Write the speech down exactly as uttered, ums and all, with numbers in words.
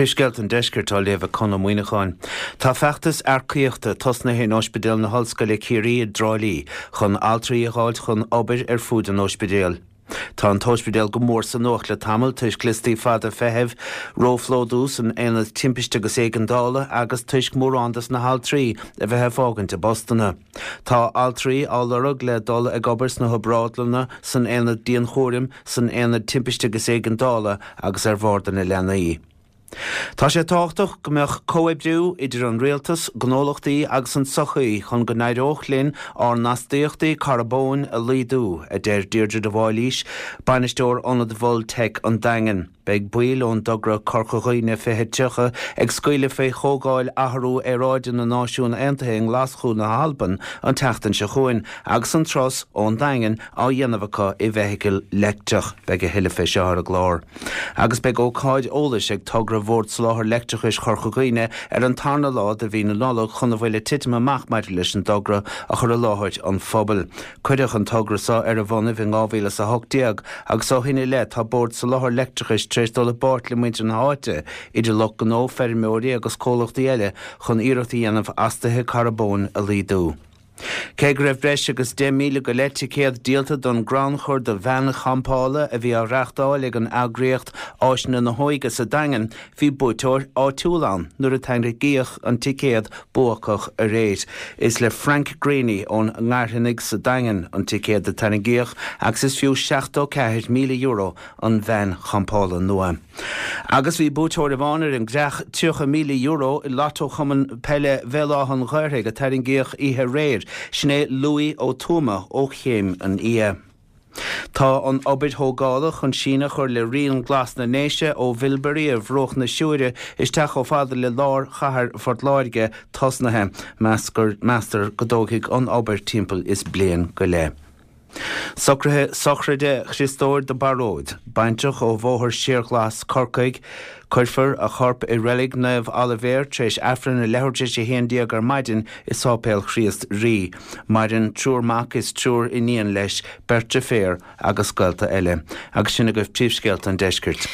Príomhscéalta an Deiscirt á léamh ag Conn Ó Muíneacháin. Tá feachtas earcaíochta tosnaithe in Ospidéal na hOllscoile Ciarraí i dTrá Lí chun altraí a fháilt chun obair ar fud an ospidéil. Tá an t-ospidéal go mór sa nuacht le tamall toisc liostaí fada feithimh, róphlódú san aonad timpiste agus éigeandála agus toisc mórán dos na haltraí a bheith ag fágaint a bpostanna. Tá altraí á lorg le dul ag obair sna hobrádlanna, san aonad dianchúraim, san aonad timpiste agus éigeandála agus ar bharda na leanaí. Tá sé tábhachtach go mbeadh comhoibriú idir an rialtas, gnólachtaí agus an tsochaí chun go n-éireodh linn ár n-astaíochtaí carbóin a laghdú, a deir Deirdre de Bhailís, bainisteoir Ionad Mhol Teic an Daingin. Beidh baill ón dtogra Corca Dhuibhne fiche tríocha ag scaoileadh faoi Chomhdháil Athrú Aeráide na Náisiún Aontaithe i nGlaschú na hAlban an tseachtain seo chugainn agus an turas ón Daingean á dhéanamh acu i bhfeithicil leictreach. Beidh a thuilleadh fé seo ar an gclár. Agus beidh ócáid eolais ag togra Bhord Soláthair Leictreachais Chorca Dhuibhne ar an tarna lá de mhí na Nollag chun a bhfuil ag titim amach maidir leis an dtogra a chur i láthair an phobail. Cuireadh an togra seo ar a bhonnaibh in dhá mhíle is a hocht déag agus ó shin i leith tá Bord Soláthair Leictreachais tar éis dul i bpáirt le muintir na háite, idir lucht gnó, feirmeoirí agus comhlachtaí eile chun iarracht a dhéanamh astuithe carbóin a laghdú. Cé go raibh breis agus deich míle go leith ticéad díolta don gcrannchur do veain champála a bhí á reáchtáil ag an eagraíocht Áiseanna na hÓige sa Daingean, bhí buaiteoir áitiúil ann nuair a tarraingíodh an ticéad buacach aréir. Is le Frank Greaney ón nGairfeanaigh sa Daingean an ticéad a tarraingíodh agus is fiú seachtó ceathair míle euro an veain champála nua. Agus bhí buaiteoir amháin ar an gcreach tríocha míle euro i Lotto Chumann Peile Bhéal Átha an Ghaorthaidh a tarraingíodh oíche aréir, sin é Louis Ó Tuama ó Chéim an Fhia. Tá an obair thógála chun síneadh a chur le Rian Glas na nDéise ó Mhilbury ar bhruach na Siúire isteach chomh fada le lár chathair Phort Láirge tosnaithe. Meastar go dtógfaidh an obair timpeall is bliain go leith. Socruithe sochraide Chriostóir de Baróid, baintreach ó Bhóthar Síorghlas, Corcaigh. Cuirfear a chorp i Reilig Naomh Oilibhéar tar éis Aifreann a leathuair tar éis a haon déag ar maidin i Sáipéal Chríost Rí. Maireann triúr mac is triúr iníon leis, beirt deirféar agus gaolta eile. Agus sin agaibh príomhscéalta an deiscirt.